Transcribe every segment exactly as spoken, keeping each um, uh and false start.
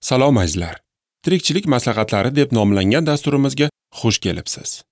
Salom azizlar. Tirikchilik maslahatlari deb nomlangan dasturimizga xush kelibsiz.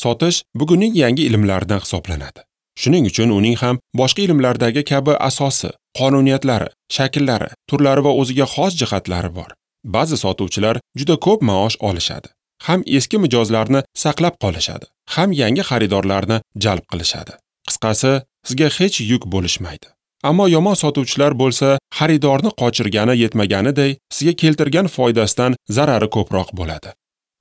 Sotish bugunning yangi ilmlaridan hisoblanadi. Shuning uchun uning ham boshqa ilmlardagi kabi asosi, qonuniyatlari, shakllari, turlari va o'ziga xos jihatlari bor. Ba'zi sotuvchilar juda ko'p maosh olishadi. Ham eski mijozlarni saqlab qolishadi, ham yangi xaridorlarni jalb qilishadi. Qisqasi, sizga hech yuk bo'lishmaydi. Ammo yomon sotuvchilar bo'lsa, xaridorni qochirgani yetmaganiday, sizga keltirgan foydasidan zarari ko'proq bo'ladi.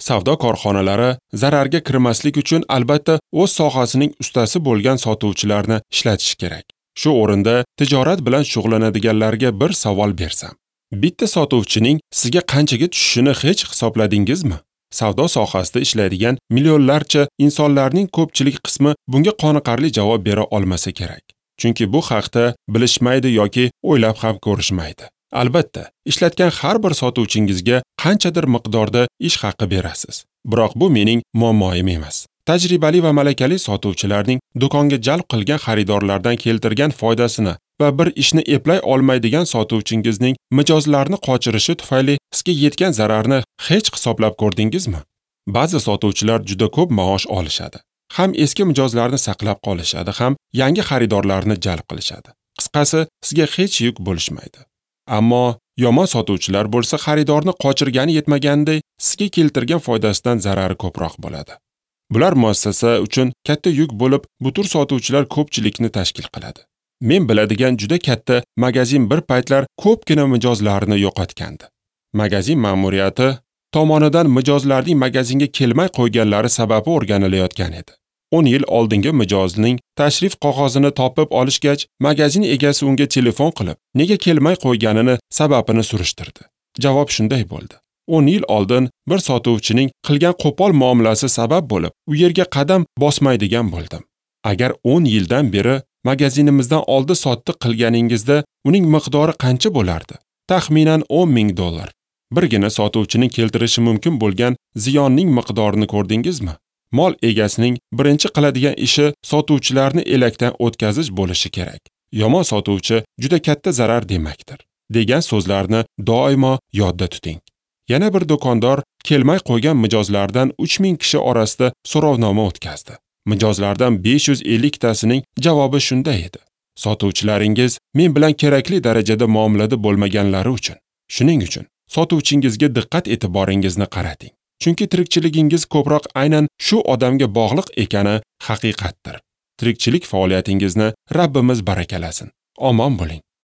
Savdo korxonalari zararga kirmaslik uchun albatta o'z sohasining ustasi bo'lgan sotuvchilarni ishlatish kerak. Shu o'rinda tijorat bilan shug'ullanadiganlarga bir savol bersam. Bitta sotuvchining sizga qanchaga tushishini hech hisobladingizmi? Savdo sohasida ishlaydigan millionlarcha insonlarning ko'pchilik qismi bunga qoniqarli javob bera olmasa kerak. Chunki bu haqda bilishmaydi yoki o'ylab ham ko'rishmaydi. Albatta, ishlatgan har bir sotuvchingizga qanchadir miqdorda ish haqi berasiz. Biroq bu mening muammoim emas. Tajribali va malakali sotuvchilarning do'konga jalb qilgan xaridorlardan keltirgan foydasini va bir ishni eplay olmaydigan sotuvchingizning mijozlarni qochirishi tufayli sizga yetgan zararni hech hisoblab ko'rdingizmi? Ba'zi sotuvchilar juda ko'p maosh olishadi. Ham eski mijozlarni saqlab qolishadi, ham yangi xaridorlarni jalb qilishadi. Qisqasi, sizga hech yuk bo'lishmaydi. Ammo yomon sotuvchilar bo'lsa, xaridorni qochirgani yetmaganday, sizga keltirgan foydasidan zarari ko'proq bo'ladi. Bular muassasa uchun katta yuk bo'lib, bu tur sotuvchilar ko'pchilikni tashkil qiladi. Men biladigan juda katta magazin bir paytlar ko'pgina mijozlarni yo'qotgandi. Magazin ma'muriyati tomonidan mijozlarning magazinga kelmay qo'yganlari sababi o'rganilayotgan edi. o'n yil oldingi mijozning tashrif qog'ozini topib olishgach, magazin egasi unga telefon qilib, nega kelmay qo'yganini sababini surishtirdi. Javob shunday bo'ldi. o'n yil oldin bir sotuvchining qilgan qo'pol muomalasi sabab bo'lib, u yerga qadam bosmaydigan bo'ldim. Agar o'n yildan beri magazinimizdan oldi-sotdi qilganingizda uning miqdori qancha bo'lardi? Taxminan o'n ming dollar. Birgina sotuvchining keltirishi mumkin bo'lgan ziyonning miqdorini ko'rdingizmi? Mol egasining birinchi qiladigan ishi sotuvchilarni elakdan o'tkazish bo'lishi kerak. Yomon sotuvchi juda katta zarar demakdir, degan so'zlarni doimo yodda tuting. Yana bir do'kondor kelmay qo'ygan mijozlardan uch ming kishi orasida so'rovnoma o'tkazdi. Mijozlardan besh yuz ellik tasining javobi shunday edi: sotuvchilaringiz men bilan kerakli darajada muomalada bo'lmaganlari uchun. Shuning uchun sotuvchingizga diqqat e'tiboringizni qarating. Chunki tirikchiligingiz ko'proq aynan shu odamga bog'liq ekani haqiqatdir. Tirikchilik faoliyatingizni Rabbimiz barakalasin. Omon bo'ling.